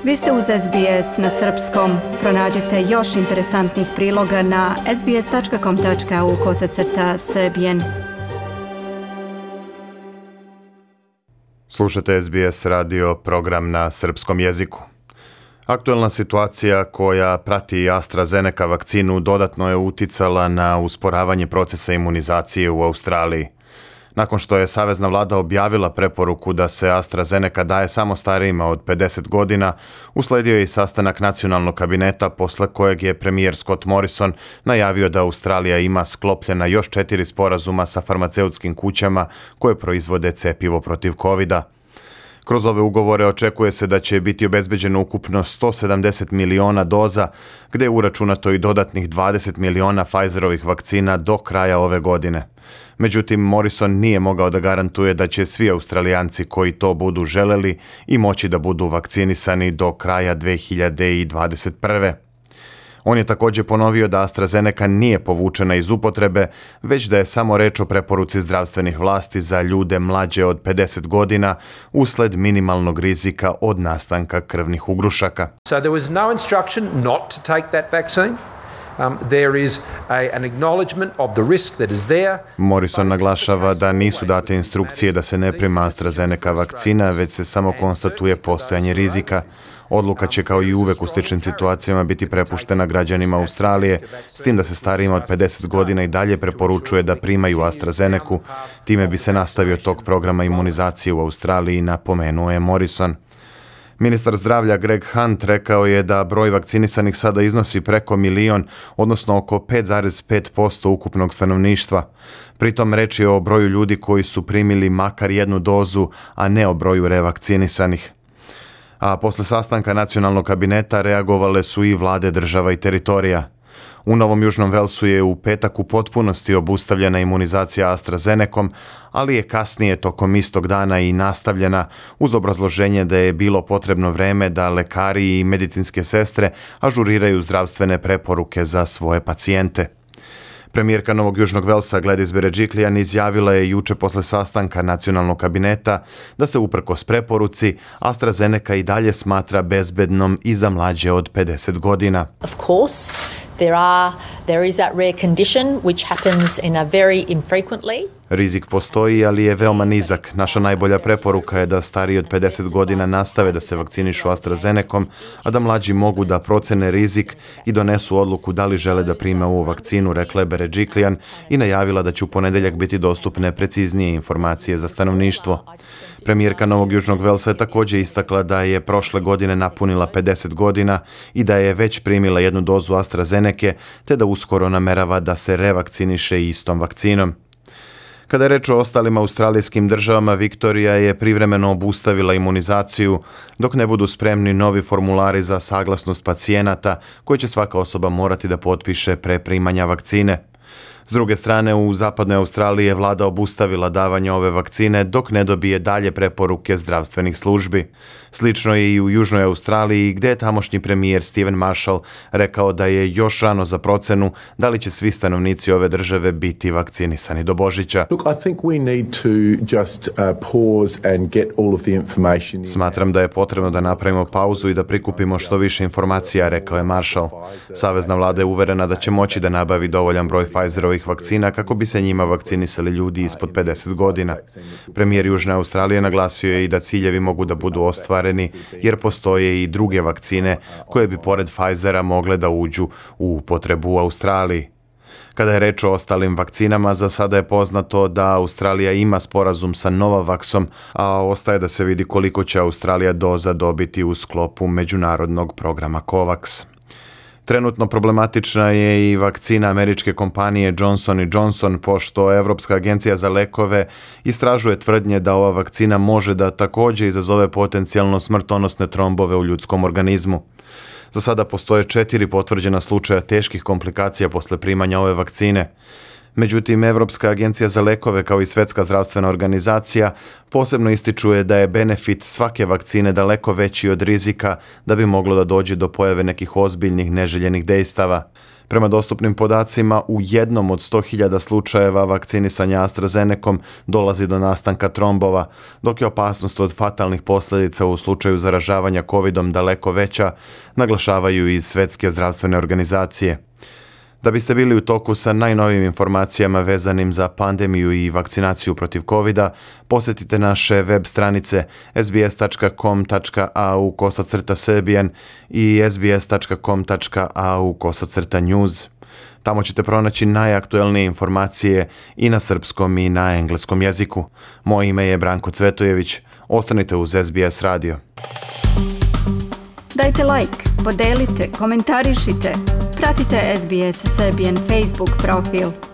Vi ste uz SBS na srpskom. Pronađite još interesantnih priloga na sbs.com.au/srbijen. Slušate SBS radio program na srpskom jeziku. Aktuelna situacija koja prati AstraZeneca vakcinu dodatno je uticala na usporavanje procesa imunizacije u Australiji. Nakon što je savezna vlada objavila preporuku da se AstraZeneca daje samo starijima od 50 godina, usledio je i sastanak nacionalnog kabineta posle kojeg je premijer Scott Morrison najavio da Australija ima sklopljena još 4 sporazuma sa farmaceutskim kućama koje proizvode cepivo protiv covida. Kroz ove ugovore očekuje se da će biti obezbeđeno ukupno 170 miliona doza, gde je uračunato i dodatnih 20 miliona Pfizerovih vakcina do kraja ove godine. Međutim, Morrison nije mogao da garantuje da će svi Australijanci koji to budu želeli i moći da budu vakcinisani do kraja 2021. On je također ponovio da AstraZeneca nije povučena iz upotrebe, već da je samo reč o preporuci zdravstvenih vlasti za ljude mlađe od 50 godina usled minimalnog rizika od nastanka krvnih ugrušaka. So there was no instruction not to take that vaccine. There is an acknowledgement of the risk that is there. Morrison naglašava da nisu date instrukcije da se ne prima AstraZeneca vakcina, već se samo konstatuje postojanje rizika. Odluka će kao i uvek u sličnim situacijama biti prepuštena građanima Australije, s tim da se starijima od 50 godina i dalje preporučuje da primaju AstraZenecu. Time bi se nastavio tok programa imunizacije u Australiji, napomenuo je Morrison. Ministar zdravlja Greg Hunt rekao je da broj vakcinisanih sada iznosi preko 1 milion, odnosno oko 5,5% ukupnog stanovništva. Pritom reč je o broju ljudi koji su primili makar jednu dozu, a ne o broju revakcinisanih. A posle sastanka nacionalnog kabineta reagovale su i vlade država i teritorija. U Novom Južnom Velsu je u petak u potpunosti obustavljena imunizacija AstraZenecom, ali je kasnije tokom istog dana i nastavljena uz obrazloženje da je bilo potrebno vreme da lekari i medicinske sestre ažuriraju zdravstvene preporuke za svoje pacijente. Premijerka Novog Južnog Velsa Gladys Berejiklian izjavila je juče posle sastanka nacionalnog kabineta da se uprkos preporuci AstraZeneca i dalje smatra bezbednom i za mlađe od 50 godina. Of course, there is that rare condition which happens in a very infrequently. Rizik postoji, ali je veoma nizak. Naša najbolja preporuka je da stariji od 50 godina nastave da se vakcinišu AstraZenecom, a da mlađi mogu da procene rizik i donesu odluku da li žele da prime ovu vakcinu, rekla je Berejiklian i najavila da će u ponedeljak biti dostupne preciznije informacije za stanovništvo. Premijerka Novog Južnog Velsa je također istakla da je prošle godine napunila 50 godina i da je već primila jednu dozu AstraZenece, te da uskoro namerava da se revakciniše istom vakcinom. Kada je reč o ostalim australijskim državama, Viktorija je privremeno obustavila imunizaciju dok ne budu spremni novi formulari za saglasnost pacijenata koje će svaka osoba morati da potpiše pre primanja vakcine. S druge strane, u zapadnoj Australiji je vlada obustavila davanje ove vakcine dok ne dobije dalje preporuke zdravstvenih službi. Slično je i u Južnoj Australiji gdje je tamošnji premijer Stephen Marshall rekao da je još rano za procenu da li će svi stanovnici ove države biti vakcinisani do Božića. Smatram da je potrebno da napravimo pauzu i da prikupimo što više informacija, rekao je Marshall. Savezna vlada je uverena da će moći da nabavi dovoljan broj Pfizerovih vakcina kako bi se njima vakcinisali ljudi ispod 50 godina. Premijer Južne Australije naglasio je i da ciljevi mogu da budu ostvareni jer postoje i druge vakcine koje bi pored Pfizera mogle da uđu u upotrebu u Australiji. Kada je reč o ostalim vakcinama, za sada je poznato da Australija ima sporazum sa Novavaxom, a ostaje da se vidi koliko će Australija doza dobiti u sklopu međunarodnog programa COVAX. Trenutno problematična je i vakcina američke kompanije Johnson & Johnson, pošto Evropska agencija za lekove istražuje tvrdnje da ova vakcina može da također izazove potencijalno smrtonosne trombove u ljudskom organizmu. Za sada postoje 4 potvrđena slučaja teških komplikacija posle primanja ove vakcine. Međutim, Evropska agencija za lekove kao i Svetska zdravstvena organizacija posebno ističuje da je benefit svake vakcine daleko veći od rizika da bi moglo da dođe do pojave nekih ozbiljnih neželjenih dejstava. Prema dostupnim podacima, u jednom od 100.000 slučajeva vakcinisanja AstraZenecom dolazi do nastanka trombova, dok je opasnost od fatalnih posljedica u slučaju zaražavanja COVID-om daleko veća, naglašavaju iz Svjetske zdravstvene organizacije. Da biste bili u toku sa najnovijim informacijama vezanim za pandemiju i vakcinaciju protiv COVID-a, posjetite naše web stranice sbs.com.au/serbian i sbs.com.au/news. Tamo ćete pronaći najaktuelnije informacije i na srpskom i na engleskom jeziku. Moje ime je Branko Cvetojević. Ostanite uz SBS radio. Dajte like, podelite, komentarišite. Pratite SBS Serbian Facebook profil.